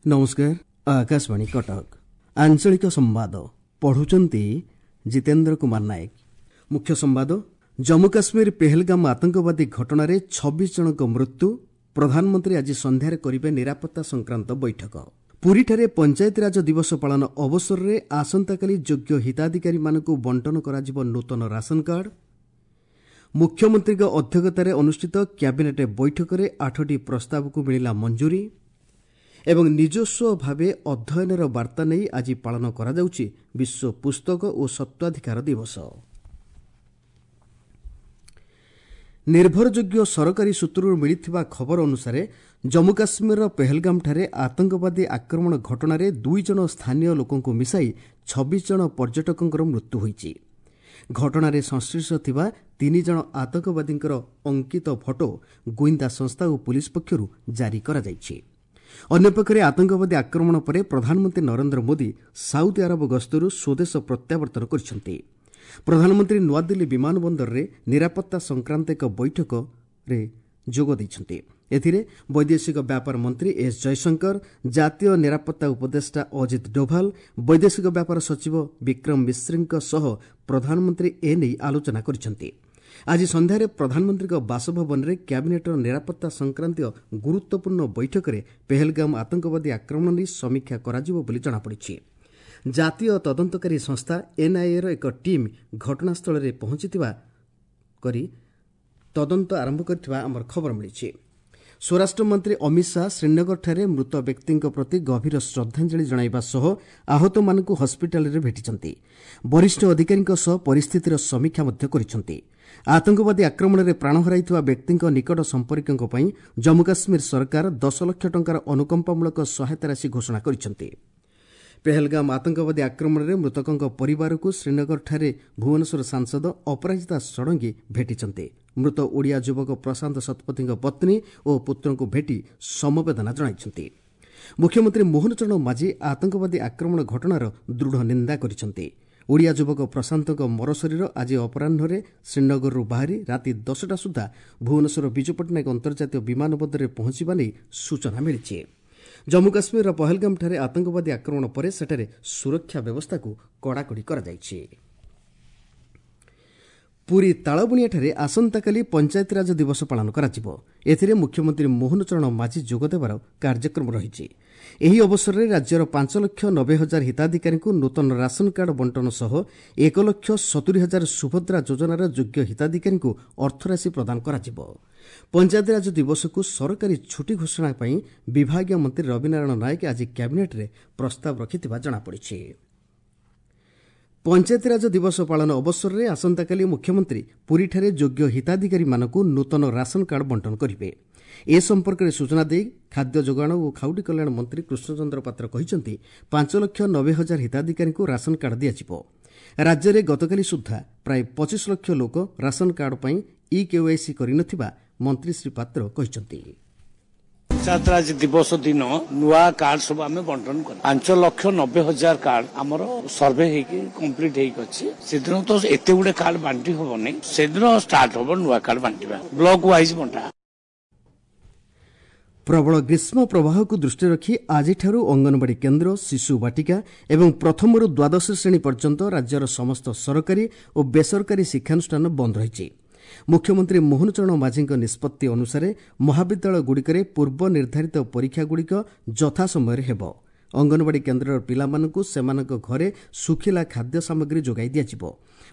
ନମସ୍କାର, ଆକାଶବାଣୀ କଟକ। ଆଞ୍ଚଳିକ ସମ୍ବାଦ ପଢୁଛନ୍ତି ଜିତେନ୍ଦ୍ର କୁମାର ନାୟକ। ମୁଖ୍ୟ ସମ୍ବାଦ। ଜମ୍ମୁ କାଶ୍ମୀର ପେହେଲଗାମ ଆତଙ୍କବାଦୀ ଘଟଣାରେ 26 ଜଣଙ୍କ ମୃତ୍ୟୁ। ପ୍ରଧାନମନ୍ତ୍ରୀ ଆଜି ସନ୍ଧ୍ୟାରେ କରିବେ ନିରାପତ୍ତା ସଂକ୍ରାନ୍ତ ବୈଠକ। ପୁରୀଠାରେ ପଞ୍ଚାୟତିରାଜ ଦିବସ ପାଳନ ଅବସରରେ ଆସନ୍ତାକାଲି ଯୋଗ୍ୟ ହିତାଧିକାରୀମାନଙ୍କୁ ବଣ୍ଟନ କରାଯିବ ନୂତନ ରାସନ କାର୍ଡ। ମୁଖ୍ୟମନ୍ତ୍ରୀଙ୍କ ଅଧ୍ୟକ୍ଷତାରେ ଅନୁଷ୍ଠିତ କ୍ୟାବିନେଟ୍ ବୈଠକରେ 8ଟି ପ୍ରସ୍ତାବକୁ ମିଳିଲା ମଞ୍ଜୁରୀ। ଏବଂ ନିଜସ୍ୱ ଭାବେ ଅଧ୍ୟୟନର ବାର୍ତ୍ତା ନେଇ ଆଜି ପାଳନ କରାଯାଉଛି ବିଶ୍ୱ ପୁସ୍ତକ ଓ ସତ୍ୱାଧିକାର ଦିବସ। ନିର୍ଭରଯୋଗ୍ୟ ସରକାରୀ ସୂତ୍ରରୁ ମିଳିଥିବା ଖବର ଅନୁସାରେ ଜମ୍ମୁ କାଶ୍ମୀରର ପେହେଲଗାମଠାରେ ଆତଙ୍କବାଦୀ ଆକ୍ରମଣ ଘଟଣାରେ 2 ଜଣ ସ୍ଥାନୀୟ ଲୋକଙ୍କୁ ମିଶାଇ 26 ଜଣ ପର୍ଯ୍ୟଟକଙ୍କର ମୃତ୍ୟୁ ହୋଇଛି। ଘଟଣାରେ ସଂଶ୍ଳିଷ୍ଟ ଥିବା 3 ଜଣ ଆତଙ୍କବାଦୀଙ୍କର ଅଙ୍କିତ ଫଟୋ ଗୁଇନ୍ଦା ସଂସ୍ଥା ଓ ପୁଲିସ୍ ପକ୍ଷରୁ ଜାରି କରାଯାଇଛି। ଅନ୍ୟପକ୍ଷରେ ଆତଙ୍କବାଦୀ ଆକ୍ରମଣ ପରେ ପ୍ରଧାନମନ୍ତ୍ରୀ ନରେନ୍ଦ୍ର ମୋଦି ସାଉଦି ଆରବ ଗସ୍ତରୁ ସ୍ୱଦେଶ ପ୍ରତ୍ୟାବର୍ତ୍ତନ କରିଛନ୍ତି। ପ୍ରଧାନମନ୍ତ୍ରୀ ନୂଆଦିଲ୍ଲୀ ବିମାନ ବନ୍ଦରରେ ନିରାପତ୍ତା ସଂକ୍ରାନ୍ତ ଏକ ବୈଠକରେ ଯୋଗ ଦେଇଛନ୍ତି। ଏଥିରେ ବୈଦେଶିକ ବ୍ୟାପାର ମନ୍ତ୍ରୀ ଏସ୍ ଜୟଶଙ୍କର, ଜାତୀୟ ନିରାପତ୍ତା ଉପଦେଷ୍ଟା ଅଜିତ ଡୋଭାଲ, ବୈଦେଶିକ ବ୍ୟାପାର ସଚିବ ବିକ୍ରମ ମିଶ୍ରିଙ୍କ ସହ ପ୍ରଧାନମନ୍ତ୍ରୀ ଏନେଇ ଆଲୋଚନା କରିଛନ୍ତି। ଆଜି ସନ୍ଧ୍ୟାରେ ପ୍ରଧାନମନ୍ତ୍ରୀଙ୍କ ବାସଭବନରେ କ୍ୟାବିନେଟ୍ର ନିରାପତ୍ତା ସଂକ୍ରାନ୍ତୀୟ ଗୁରୁତ୍ୱପୂର୍ଣ୍ଣ ବୈଠକରେ ପେହେଲଗାମ ଆତଙ୍କବାଦୀ ଆକ୍ରମଣ ନେଇ ସମୀକ୍ଷା କରାଯିବ ବୋଲି ଜଣାପଡ଼ିଛି। ଜାତୀୟ ତଦନ୍ତକାରୀ ସଂସ୍ଥା ଏନ୍ଆଇଏର ଏକ ଟିମ୍ ଘଟଣାସ୍ଥଳରେ ପହଞ୍ଚିଥିବା କରି ତଦନ୍ତ ଆରମ୍ଭ କରିଥିବା ଆମର ଖବର ମିଳିଛି। ସ୍ୱରାଷ୍ଟ୍ରମନ୍ତ୍ରୀ ଅମିତ ଶାହା ଶ୍ରୀନଗରଠାରେ ମୃତ ବ୍ୟକ୍ତିଙ୍କ ପ୍ରତି ଗଭୀର ଶ୍ରଦ୍ଧାଞ୍ଜଳି ଜଣାଇବା ସହ ଆହତମାନଙ୍କୁ ହସ୍ପିଟାଲରେ ଭେଟିଛନ୍ତି। ବରିଷ୍ଠ ଅଧିକାରୀଙ୍କ ସହ ପରିସ୍ଥିତିର ସମୀକ୍ଷା ମଧ୍ୟ କରିଛନ୍ତି। ଆତଙ୍କବାଦୀ ଆକ୍ରମଣରେ ପ୍ରାଣ ହରାଇଥିବା ବ୍ୟକ୍ତିଙ୍କ ନିକଟ ସମ୍ପର୍କୀୟଙ୍କ ପାଇଁ ଜମ୍ମୁ କାଶ୍ମୀର ସରକାର 10 ଲକ୍ଷ ଟଙ୍କାର ଅନୁକମ୍ପାମୂଳକ ସହାୟତା ରାଶି ଘୋଷଣା କରିଛନ୍ତି। ପେହେଲଗାମ ଆତଙ୍କବାଦୀ ଆକ୍ରମଣରେ ମୃତକଙ୍କ ପରିବାରକୁ ଶ୍ରୀନଗରଠାରେ ଭୁବନେଶ୍ୱର ସାଂସଦ ଅପରାଜିତା ଷଡ଼ଙ୍ଗୀ ଭେଟିଛନ୍ତି। ମୃତ ଓଡ଼ିଆ ଯୁବକ ପ୍ରଶାନ୍ତ ଶତପଥୀଙ୍କ ପତ୍ନୀ ଓ ପୁତ୍ରଙ୍କୁ ଭେଟି ସମବେଦନା ଜଣାଇଛନ୍ତି। ମୁଖ୍ୟମନ୍ତ୍ରୀ ମୋହନ ଚରଣ ମାଝୀ ଆତଙ୍କବାଦୀ ଆକ୍ରମଣ ଘଟଣାର ଦୃଢ଼ ନିନ୍ଦା କରିଛନ୍ତି। ଓଡ଼ିଆ ଯୁବକ ପ୍ରଶାନ୍ତଙ୍କ ମରଶରୀର ଆଜି ଅପରାହ୍ନରେ ଶ୍ରୀନଗରରୁ ବାହାରି ରାତି 10ଟା ସୁଦ୍ଧା ଭୁବନେଶ୍ୱର ବିଜୁ ପଟ୍ଟନାୟକ ଅନ୍ତର୍ଜାତୀୟ ବିମାନ ବନ୍ଦରରେ ପହଞ୍ଚିବା ନେଇ ସୂଚନା ମିଳିଛି। ଜମ୍ମୁ କାଶ୍ମୀରର ପହଲଗାମଠାରେ ଆତଙ୍କବାଦୀ ଆକ୍ରମଣ ପରେ ସେଠାରେ ସୁରକ୍ଷା ବ୍ୟବସ୍ଥାକୁ କଡ଼ାକଡ଼ି କରାଯାଇଛି। ପୁରୀ ତାଳବଣିଆଠାରେ ଆସନ୍ତାକାଲି ପଞ୍ଚାୟତିରାଜ ଦିବସ ପାଳନ କରାଯିବ। ଏଥିରେ ମୁଖ୍ୟମନ୍ତ୍ରୀ ମୋହନ ଚରଣ ମାଝୀ ଯୋଗଦେବାର କାର୍ଯ୍ୟକ୍ରମ ରହିଛି। ଏହି ଅବସରରେ ରାଜ୍ୟର 5,90,000 ହିତାଧିକାରୀଙ୍କୁ ନୂତନ ରାସନ କାର୍ଡ ବଣ୍ଟନ ସହ 1,70,000 ସୁଭଦ୍ରା ଯୋଜନାର ଯୋଗ୍ୟ ହିତାଧିକାରୀଙ୍କୁ ଅର୍ଥରାଶି ପ୍ରଦାନ କରାଯିବ। ପଞ୍ଚାୟତିରାଜ ଦିବସକୁ ସରକାରୀ ଛୁଟି ଘୋଷଣା ପାଇଁ ବିଭାଗୀୟ ମନ୍ତ୍ରୀ ରବିନାରାୟଣ ନାୟକ ଆଜି କ୍ୟାବିନେଟ୍ରେ ପ୍ରସ୍ତାବ ରଖିଥିବା ଜଣାପଡ଼ିଛି। ପଞ୍ଚାୟତିରାଜ ଦିବସ ପାଳନ ଅବସରରେ ଆସନ୍ତାକାଲି ମୁଖ୍ୟମନ୍ତ୍ରୀ ପୁରୀଠାରେ ଯୋଗ୍ୟ ହିତାଧିକାରୀମାନଙ୍କୁ ନୂତନ ରାସନ କାର୍ଡ ବଣ୍ଟନ କରିବେ। ଏ ସମ୍ପର୍କରେ ସୂଚନା ଦେଇ ଖାଦ୍ୟ ଯୋଗାଣ ଓ ଖାଉଟି କଲ୍ୟାଣ ମନ୍ତ୍ରୀ କୃଷ୍ଣଚନ୍ଦ୍ର ପାତ୍ର କହିଛନ୍ତି, 5,90,000 ହିତାଧିକାରୀଙ୍କୁ ରାସନ କାର୍ଡ ଦିଆଯିବ। ରାଜ୍ୟରେ ଗତକାଲି ସୁଦ୍ଧା ପ୍ରାୟ 25 ଲକ୍ଷ ଲୋକ ରାସନ କାର୍ଡ ପାଇଁ ଇ କେୱାଇସି କରିନଥିବା ମନ୍ତ୍ରୀ ଶ୍ରୀ ପାତ୍ର କହିଛନ୍ତି। ପଞ୍ଚାୟତରାଜ ଦିବସ ଦିନ ନୂଆ କାର୍ଡ ସବୁ ଆମେ ବଣ୍ଟନ କରୁ। 5,90,000 କାର୍ଡ ଆମର ସର୍ଭେ ହେଇକି କମ୍ପ୍ଲିଟ ହେଇକି ଅଛି। ସେଦିନ ତ ଏତେ ଗୁଡେ କାର୍ଡ ବାଣ୍ଟି ହବନି, ସେଦିନ ଷ୍ଟାର୍ଟ ହବ ନୂଆ କାର୍ଡ ବାଣ୍ଟିବା, ବ୍ଲକ ୱାଇଜ ବଣ୍ଟା। ପ୍ରବଳ ଗ୍ରୀଷ୍ମ ପ୍ରବାହକୁ ଦୃଷ୍ଟିରେ ରଖି ଆଜିଠାରୁ ଅଙ୍ଗନବାଡ଼ି କେନ୍ଦ୍ର, ଶିଶୁ ବାଟିକା ଏବଂ ପ୍ରଥମରୁ ଦ୍ୱାଦଶ ଶ୍ରେଣୀ ପର୍ଯ୍ୟନ୍ତ ରାଜ୍ୟର ସମସ୍ତ ସରକାରୀ ଓ ବେସରକାରୀ ଶିକ୍ଷାନୁଷ୍ଠାନ ବନ୍ଦ ରହିଛି। ମୁଖ୍ୟମନ୍ତ୍ରୀ ମୋହନ ଚରଣ ମାଝୀଙ୍କ ନିଷ୍ପତ୍ତି ଅନୁସାରେ ମହାବିଦ୍ୟାଳୟଗୁଡ଼ିକରେ ପୂର୍ବ ନିର୍ଦ୍ଧାରିତ ପରୀକ୍ଷାଗୁଡ଼ିକ ଯଥାସମୟରେ ହେବ। ଅଙ୍ଗନବାଡ଼ି କେନ୍ଦ୍ରର ପିଲାମାନଙ୍କୁ ସେମାନଙ୍କ ଘରେ ଶୁଖିଲା ଖାଦ୍ୟ ସାମଗ୍ରୀ ଯୋଗାଇ ଦିଆଯିବ।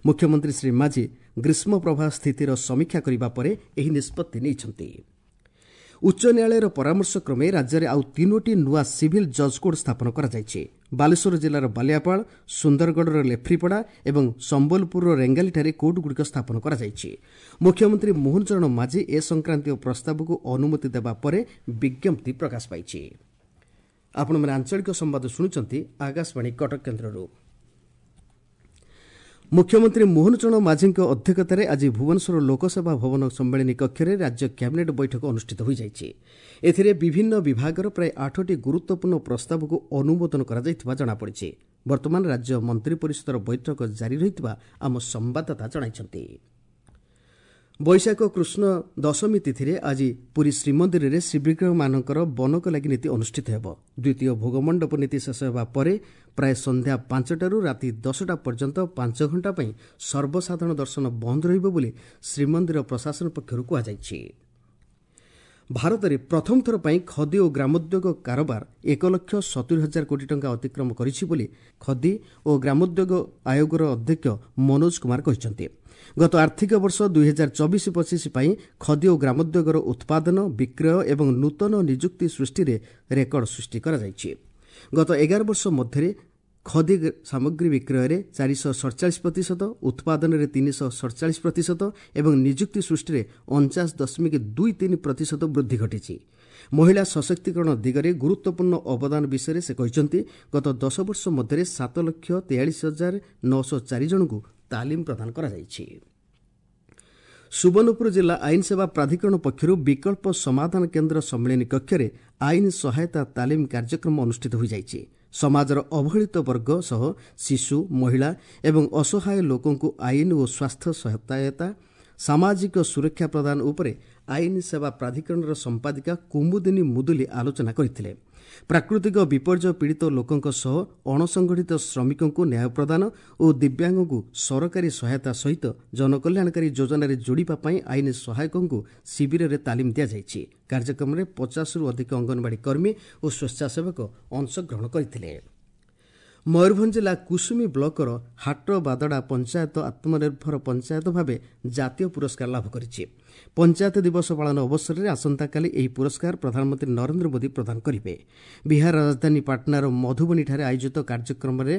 ମୁଖ୍ୟମନ୍ତ୍ରୀ ଶ୍ରୀ ମାଝୀ ଗ୍ରୀଷ୍ମ ପ୍ରବାହ ସ୍ଥିତିର ସମୀକ୍ଷା କରିବା ପରେ ଏହି ନିଷ୍ପତ୍ତି ନେଇଛନ୍ତି। ଉଚ୍ଚ ନ୍ୟାୟାଳୟର ପରାମର୍ଶ କ୍ରମେ ରାଜ୍ୟରେ ଆଉ 3ଟି ନୂଆ ସିଭିଲ୍ ଜଜ୍ କୋର୍ଟ ସ୍ଥାପନ କରାଯାଇଛି। ବାଲେଶ୍ୱର ଜିଲ୍ଲାର ବାଲିଆପାଳ, ସୁନ୍ଦରଗଡ଼ର ଲେଫ୍ରିପଡ଼ା ଏବଂ ସମ୍ବଲପୁରର ରେଙ୍ଗାଲିଠାରେ କୋର୍ଟଗୁଡ଼ିକ ସ୍ଥାପନ କରାଯାଇଛି। ମୁଖ୍ୟମନ୍ତ୍ରୀ ମୋହନ ଚରଣ ମାଝୀ ଏ ସଂକ୍ରାନ୍ତୀୟ ପ୍ରସ୍ତାବକୁ ଅନୁମତି ଦେବା ପରେ ବିଜ୍ଞପ୍ତି ପ୍ରକାଶ ପାଇଛି। ଆପଣମାନେ ଆଞ୍ଚଳିକ ସମ୍ବାଦ ଶୁଣୁଛନ୍ତି ଆକାଶବାଣୀ କଟକ କେନ୍ଦ୍ରରୁ। ମୁଖ୍ୟମନ୍ତ୍ରୀ ମୋହନ ଚରଣ ମାଝୀଙ୍କ ଅଧ୍ୟକ୍ଷତାରେ ଆଜି ଭୁବନେଶ୍ୱର ଲୋକସେବା ଭବନ ସମ୍ମିଳନୀ କକ୍ଷରେ ରାଜ୍ୟ କ୍ୟାବିନେଟ୍ ବୈଠକ ଅନୁଷ୍ଠିତ ହୋଇଯାଇଛି। ଏଥିରେ ବିଭିନ୍ନ ବିଭାଗର ପ୍ରାୟ 8ଟି ଗୁରୁତ୍ୱପୂର୍ଣ୍ଣ ପ୍ରସ୍ତାବକୁ ଅନୁମୋଦନ କରାଯାଇଥିବା ଜଣାପଡ଼ିଛି। ବର୍ତ୍ତମାନ ରାଜ୍ୟ ମନ୍ତ୍ରୀ ପରିଷଦର ବୈଠକ ଜାରି ରହିଥିବା ଆମ ସମ୍ବାଦଦାତା ଜଣାଇଛନ୍ତି। ବୈଶାଖ କୃଷ୍ଣ ଦଶମୀ ତିଥିରେ ଆଜି ପୁରୀ ଶ୍ରୀମନ୍ଦିରରେ ଶ୍ରୀବିଗ୍ରହମାନଙ୍କର ବନକ ଲାଗି ନୀତି ଅନୁଷ୍ଠିତ ହେବ। ଦ୍ୱିତୀୟ ଭୋଗମଣ୍ଡପ ନୀତି ଶେଷ ହେବା ପରେ ପ୍ରାୟ ସନ୍ଧ୍ୟା 5ଟାରୁ ରାତି 10ଟା ପର୍ଯ୍ୟନ୍ତ 5 ଘଣ୍ଟା ପାଇଁ ସର୍ବସାଧାରଣ ଦର୍ଶନ ବନ୍ଦ ରହିବ ବୋଲି ଶ୍ରୀମନ୍ଦିର ପ୍ରଶାସନ ପକ୍ଷରୁ କୁହାଯାଇଛି। ଭାରତରେ ପ୍ରଥମ ଥର ପାଇଁ ଖଦି ଓ ଗ୍ରାମୋଦ୍ୟୋଗ କାରବାର 1,70,000 କୋଟି ଟଙ୍କା ଅତିକ୍ରମ କରିଛି ବୋଲି ଖଦି ଓ ଗ୍ରାମୋଦ୍ୟୋଗ ଆୟୋଗର ଅଧ୍ୟକ୍ଷ ମନୋଜ କୁମାର କହିଛନ୍ତି। ଗତ ଆର୍ଥିକ ବର୍ଷ 2024-25 ପାଇଁ ଖଦି ଓ ଗ୍ରାମୋଦ୍ୟୋଗର ଉତ୍ପାଦନ, ବିକ୍ରୟ ଏବଂ ନୂତନ ନିଯୁକ୍ତି ସୃଷ୍ଟିରେ ରେକର୍ଡ ସୃଷ୍ଟି କରାଯାଇଛି। ଗତ 11 ବର୍ଷ ମଧ୍ୟରେ ଖଦି ସାମଗ୍ରୀ ବିକ୍ରୟରେ 447%, ଉତ୍ପାଦନରେ 347% ଏବଂ ନିଯୁକ୍ତି ସୃଷ୍ଟିରେ 49.23% ବୃଦ୍ଧି ଘଟିଛି। ମହିଳା ସଶକ୍ତିକରଣ ଦିଗରେ ଗୁରୁତ୍ୱପୂର୍ଣ୍ଣ ଅବଦାନ ବିଷୟରେ ସେ କହିଛନ୍ତି, ଗତ 10 ବର୍ଷ ମଧ୍ୟରେ 7,43,904 ଜଣଙ୍କୁ ତାଲିମ ପ୍ରଦାନ କରାଯାଇଛି। ସୁବର୍ଣ୍ଣପୁର ଜିଲ୍ଲା ଆଇନ ସେବା ପ୍ରାଧିକରଣ ପକ୍ଷରୁ ବିକଳ୍ପ ସମାଧାନ କେନ୍ଦ୍ର ସମ୍ମିଳନୀ କକ୍ଷରେ ଆଇନ ସହାୟତା ତାଲିମ କାର୍ଯ୍ୟକ୍ରମ ଅନୁଷ୍ଠିତ ହୋଇଯାଇଛି। ସମାଜର ଅବହେଳିତ ବର୍ଗ ସହ ଶିଶୁ, ମହିଳା ଏବଂ ଅସହାୟ ଲୋକଙ୍କୁ ଆଇନ ଓ ସ୍ୱାସ୍ଥ୍ୟ ସହାୟତା, ସାମାଜିକ ସୁରକ୍ଷା ପ୍ରଦାନ ଉପରେ ଆଇନ ସେବା ପ୍ରାଧିକରଣର ସମ୍ପାଦିକା କୁମୁଦିନୀ ମୁଦୁଲି ଆଲୋଚନା କରିଥିଲେ। ପ୍ରାକୃତିକ ବିପର୍ଯ୍ୟୟ ପୀଡ଼ିତ ଲୋକଙ୍କ ସହ ଅଣସଂଗଠିତ ଶ୍ରମିକଙ୍କୁ ନ୍ୟାୟ ପ୍ରଦାନ ଓ ଦିବ୍ୟାଙ୍ଗଙ୍କୁ ସରକାରୀ ସହାୟତା ସହିତ ଜନକଲ୍ୟାଣକାରୀ ଯୋଜନାରେ ଯୋଡ଼ିବା ପାଇଁ ଆଇନ ସହାୟକଙ୍କୁ ଶିବିରରେ ତାଲିମ ଦିଆଯାଇଛି। କାର୍ଯ୍ୟକ୍ରମରେ 50ରୁ ଅଧିକ ଅଙ୍ଗନବାଡ଼ି କର୍ମୀ ଓ ସ୍ୱେଚ୍ଛାସେବକ ଅଂଶଗ୍ରହଣ କରିଥିଲେ। ମୟୂରଭଞ୍ଜ ଜିଲ୍ଲା କୁସୁମୀ ବ୍ଲକର ହାଟବାଦଡ଼ା ପଞ୍ଚାୟତ ଆତ୍ମନିର୍ଭର ପଞ୍ଚାୟତ ଭାବେ ଜାତୀୟ ପୁରସ୍କାର ଲାଭ କରିଛି। ପଞ୍ଚାୟତ ଦିବସ ପାଳନ ଅବସରରେ ଆସନ୍ତାକାଲି ଏହି ପୁରସ୍କାର ପ୍ରଧାନମନ୍ତ୍ରୀ ନରେନ୍ଦ୍ର ମୋଦି ପ୍ରଦାନ କରିବେ। ବିହାର ରାଜଧାନୀ ପାଟନାର ମଧୁବନୀଠାରେ ଆୟୋଜିତ କାର୍ଯ୍ୟକ୍ରମରେ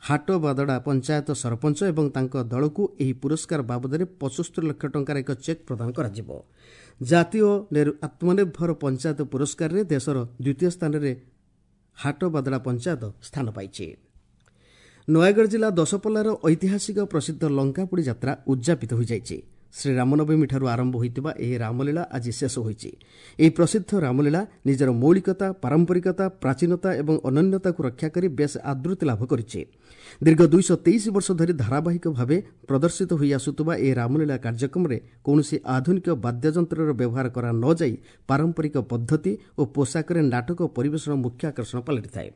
ହାଟବାଦଡ଼ା ପଞ୍ଚାୟତ ସରପଞ୍ଚ ଏବଂ ତାଙ୍କ ଦଳକୁ ଏହି ପୁରସ୍କାର ବାବଦରେ 75 ଲକ୍ଷ ଟଙ୍କାର ଏକ ଚେକ୍ ପ୍ରଦାନ କରାଯିବ। ଜାତୀୟ ଆତ୍ମନିର୍ଭର ପଞ୍ଚାୟତ ପୁରସ୍କାରରେ ଦେଶର ଦ୍ୱିତୀୟ ସ୍ଥାନରେ ହାଟବାଦଡ଼ା ପଞ୍ଚାୟତ ସ୍ଥାନ ପାଇଛି। ନୟାଗଡ଼ ଜିଲ୍ଲା ଦଶପଲ୍ଲାର ଐତିହାସିକ ପ୍ରସିଦ୍ଧ ଲଙ୍କାପୋଡ଼ି ଯାତ୍ରା ଉଦ୍ଯାପିତ ହୋଇଯାଇଛି। ଶ୍ରୀରାମନବମୀଠାରୁ ଆରମ୍ଭ ହୋଇଥିବା ଏହି ରାମଲୀଳା ଆଜି ଶେଷ ହୋଇଛି। ଏହି ପ୍ରସିଦ୍ଧ ରାମଲୀଳା ନିଜର ମୌଳିକତା, ପାରମ୍ପରିକତା, ପ୍ରାଚୀନତା ଏବଂ ଅନନ୍ୟତାକୁ ରକ୍ଷା କରି ବେଶ୍ ଆଦୃତି ଲାଭ କରିଛି। ଦୀର୍ଘ 223 ବର୍ଷ ଧରି ଧାରାବାହିକ ଭାବେ ପ୍ରଦର୍ଶିତ ହୋଇ ଆସୁଥିବା ଏହି ରାମଲୀଳା କାର୍ଯ୍ୟକ୍ରମରେ କୌଣସି ଆଧୁନିକ ବାଦ୍ୟଯନ୍ତ୍ରର ବ୍ୟବହାର କରା ନ ଯାଇ ପାରମ୍ପରିକ ପଦ୍ଧତି ଓ ପୋଷାକରେ ନାଟକ ପରିବେଷଣ ମୁଖ୍ୟ ଆକର୍ଷଣ ପାଲଟିଥାଏ।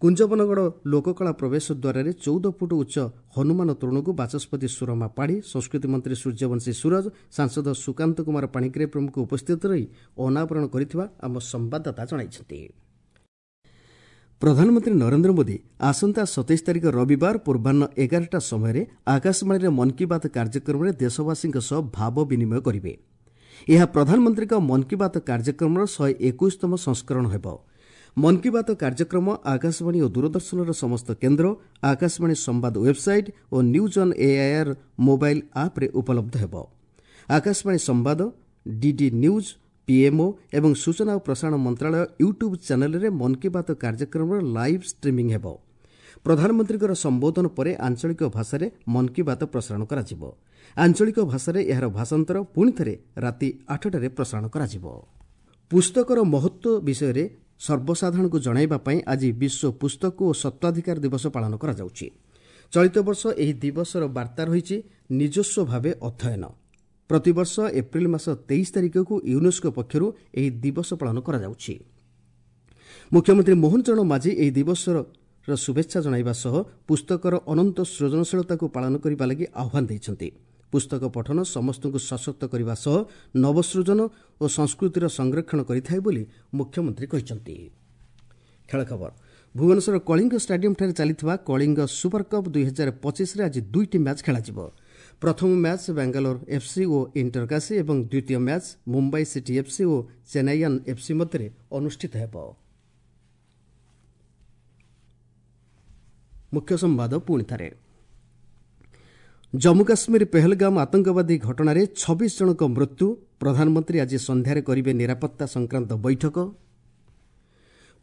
କୁଞ୍ଜବନଗଡ଼ ଲୋକକଳା ପ୍ରବେଶ ଦ୍ୱାରରେ 14 ଫୁଟ ଉଚ୍ଚ ହନୁମାନ ତୋରଣକୁ ବାଚସ୍ପତି ସୁରମା ପାଢ଼ୀ, ସଂସ୍କୃତି ମନ୍ତ୍ରୀ ସୂର୍ଯ୍ୟବଂଶୀ ସୂରଜ, ସାଂସଦ ସୁକାନ୍ତ କୁମାର ପାଣିଗ୍ରାହୀ ପ୍ରମୁଖ ଉପସ୍ଥିତ ରହି ଅନାବରଣ କରିଥିବା ଆମ ସମ୍ବାଦଦାତା ଜଣାଇଛନ୍ତି। ପ୍ରଧାନମନ୍ତ୍ରୀ ନରେନ୍ଦ୍ର ମୋଦି ଆସନ୍ତା 27 ତାରିଖ ରବିବାର ପୂର୍ବାହ୍ନ 11ଟା ସମୟରେ ଆକାଶବାଣୀରେ ମନ୍ କି ବାତ୍ କାର୍ଯ୍ୟକ୍ରମରେ ଦେଶବାସୀଙ୍କ ସହ ଭାବ ବିନିମୟ କରିବେ। ଏହା ପ୍ରଧାନମନ୍ତ୍ରୀଙ୍କ ମନ୍ କି ବାତ୍ କାର୍ଯ୍ୟକ୍ରମର 121ତମ ସଂସ୍କରଣ ହେବ। ମନ୍ କି ବାତ୍ କାର୍ଯ୍ୟକ୍ରମ ଆକାଶବାଣୀ ଓ ଦୂରଦର୍ଶନର ସମସ୍ତ କେନ୍ଦ୍ର, ଆକାଶବାଣୀ ସମ୍ବାଦ website O news on AIR mobile ଆପ୍ରେ ଉପଲବ୍ଧ ହେବ। ଆକାଶବାଣୀ ସମ୍ବାଦ, ଡିଡି ନ୍ୟୁଜ୍, ପିଏମ୍ଓ ଏବଂ ସୂଚନା ଓ ପ୍ରସାରଣ ମନ୍ତ୍ରଣାଳୟ ୟୁଟ୍ୟୁବ୍ ଚ୍ୟାନେଲ୍ରେ ମନ୍ କି ବାତ୍ କାର୍ଯ୍ୟକ୍ରମର ଲାଇଭ୍ ଷ୍ଟ୍ରିମିଂ ହେବ। ପ୍ରଧାନମନ୍ତ୍ରୀଙ୍କର ସମ୍ବୋଧନ ପରେ ଆଞ୍ଚଳିକ ଭାଷାରେ ମନ୍ କି ବାତ୍ ପ୍ରସାରଣ କରାଯିବ। ଆଞ୍ଚଳିକ ଭାଷାରେ ଏହାର ଭାଷାନ୍ତର ପୁଣିଥରେ ରାତି 8ଟାରେ ପ୍ରସାରଣ କରାଯିବ। ପୁସ୍ତକର ମହତ୍ତ୍ୱ ବିଷୟରେ ସର୍ବସାଧାରଣଙ୍କୁ ଜଣାଇବା ପାଇଁ ଆଜି ବିଶ୍ୱ ପୁସ୍ତକ ଓ ସତ୍ତ୍ୱାଧିକାର ଦିବସ ପାଳନ କରାଯାଉଛି। ଚଳିତ ବର୍ଷ ଏହି ଦିବସର ବାର୍ତ୍ତା ରହିଛି ନିଜସ୍ୱ ଭାବେ ଅଧ୍ୟୟନ। ପ୍ରତିବର୍ଷ ଏପ୍ରିଲ ମାସ 23 ତାରିଖକୁ ୟୁନେସ୍କୋ ପକ୍ଷରୁ ଏହି ଦିବସ ପାଳନ କରାଯାଉଛି। ମୁଖ୍ୟମନ୍ତ୍ରୀ ମୋହନ ଚରଣ ମାଝୀ ଏହି ଦିବସର ଶୁଭେଚ୍ଛା ଜଣାଇବା ସହ ପୁସ୍ତକର ଅନନ୍ତ ସୃଜନଶୀଳତାକୁ ପାଳନ କରିବା ଲାଗି ଆହ୍ୱାନ ଦେଇଛନ୍ତି। ପୁସ୍ତକ ପଠନ ସମସ୍ତଙ୍କୁ ସଶକ୍ତ କରିବା ସହ ନବସୃଜନ ଓ ସଂସ୍କୃତିର ସଂରକ୍ଷଣ କରିଥାଏ ବୋଲି ମୁଖ୍ୟମନ୍ତ୍ରୀ କହିଛନ୍ତି। ଖେଳ ଖବର। ଭୁବନେଶ୍ୱର କଳିଙ୍ଗ ଷ୍ଟାଡିୟମ୍ଠାରେ ଚାଲିଥିବା କଳିଙ୍ଗ ସୁପର କପ୍ 2025ରେ ଆଜି 2ଟି ମ୍ୟାଚ୍ ଖେଳାଯିବ। ପ୍ରଥମ ମ୍ୟାଚ୍ ବାଙ୍ଗାଲୋର ଏଫ୍ସି ଓ ଇଣ୍ଟରକାଶୀ ଏବଂ ଦ୍ୱିତୀୟ ମ୍ୟାଚ୍ ମୁମ୍ବାଇ ସିଟି ଏଫ୍ସି ଓ ଚେନ୍ନାଇଆନ୍ ଏଫ୍ସି ମଧ୍ୟରେ ଅନୁଷ୍ଠିତ ହେବ। ମୁଖ୍ୟ ସମ୍ବାଦ ପୁଣି ଥରେ। ଜମ୍ମୁ କାଶ୍ମୀର ପେହଲଗାମ ଆତଙ୍କବାଦୀ ଘଟଣାରେ 26 ଜଣଙ୍କ ମୃତ୍ୟୁ। ପ୍ରଧାନମନ୍ତ୍ରୀ ଆଜି ସନ୍ଧ୍ୟାରେ କରିବେ ନିରାପତ୍ତା ସଂକ୍ରାନ୍ତ ବୈଠକ।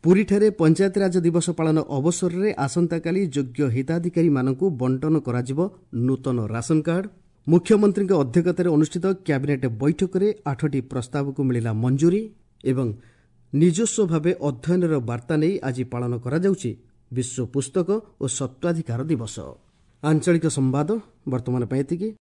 ପୁରୀଠାରେ ପଞ୍ଚାୟତିରାଜ ଦିବସ ପାଳନ ଅବସରରେ ଆସନ୍ତାକାଲି ଯୋଗ୍ୟ ହିତାଧିକାରୀମାନଙ୍କୁ ବଣ୍ଟନ କରାଯିବ ନୂତନ ରାସନ କାର୍ଡ। ମୁଖ୍ୟମନ୍ତ୍ରୀଙ୍କ ଅଧ୍ୟକ୍ଷତାରେ ଅନୁଷ୍ଠିତ କ୍ୟାବିନେଟ୍ ବୈଠକରେ 8ଟି ପ୍ରସ୍ତାବକୁ ମିଳିଲା ମଞ୍ଜୁରୀ ଏବଂ ନିଜସ୍ୱ ଭାବେ ଅଧ୍ୟୟନର ବାର୍ତ୍ତା ନେଇ ଆଜି ପାଳନ କରାଯାଉଛି ବିଶ୍ୱ ପୁସ୍ତକ ଓ ସତ୍ତ୍ୱାଧିକାର ଦିବସ। ଆଞ୍ଚଳିକ ସମ୍ବାଦ ବର୍ତ୍ତମାନ ପାଇଁ ଏତିକି।